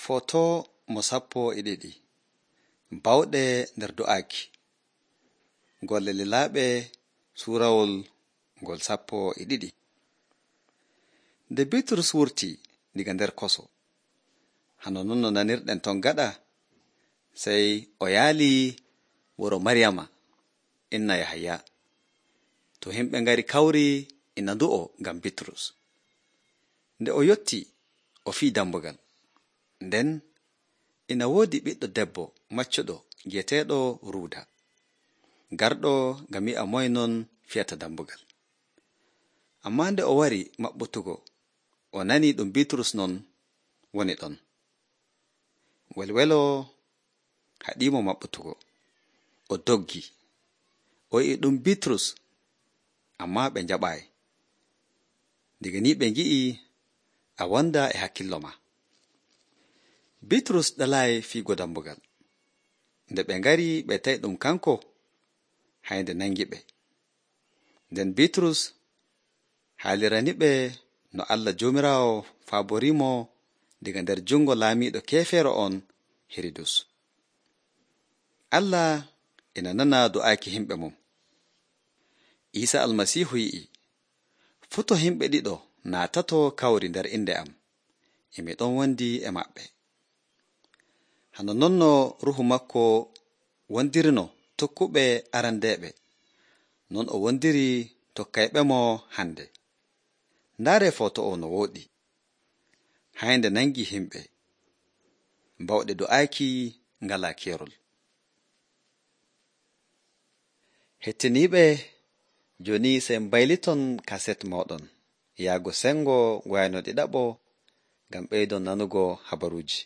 Foto mo 12 bawɗe nder do'aaki. Golle lilaaɓe suurawol ngol 12. Nde Bitrus wurtii diga nder koso, hano non no nanirɗen ton gaɗa, sey o yaalii wuro Maryama inna Yahaya. To himɓe ngari kawri ina ndu'o ngam Bitrus. Nde o yottii, o fii dambugal. Nden ina woodi ɓiɗɗo debbo maccuɗo gi'eteeɗo Ruuda, garɗo ngam yi'a moy non fiyata dambugal. Ammaa nde o wari maɓɓutugo, o nanii ɗum Bitrus non woni ɗon. Welwelo haɗiimo maɓɓutugo, o doggi, o yi'i ɗum Bitrus, ammaa ɓe njaɓaayi. Diga ni ɓe ngi'i a wonda e hakkillo ma. Bitrus ɗalaayi fiigo dambugal. Nde ɓe ngari ɓe tawi ɗum kanko, haynde nangi ɓe. Nden Bitrus haalirani-ɓe no Allah Joomiraawo faaboriimo diga nder jungo laamiiɗo keefeero on Hiridus. Allah ina nana do'aaki himɓe mum. Iisa Almasiihu yi'i, fuu to himɓe ɗiɗo naatato kawri nder inde am, e mi ɗon wondi e maɓɓe. Hano non no Ruuhu makko wondirino tokkuɓe arandeeɓe, non o wondiri tokkayɓemo hande. Ndaaree foto o no wooɗi. Haynde nangi himɓe. Bawɗe do'aaki ngalaa keerol. Hettiniiɓe, jooni sey mbayliton kaset mooɗon yaago sengo wayno ɗiɗaɓo ngam ɓeydon nanugo habaruuji.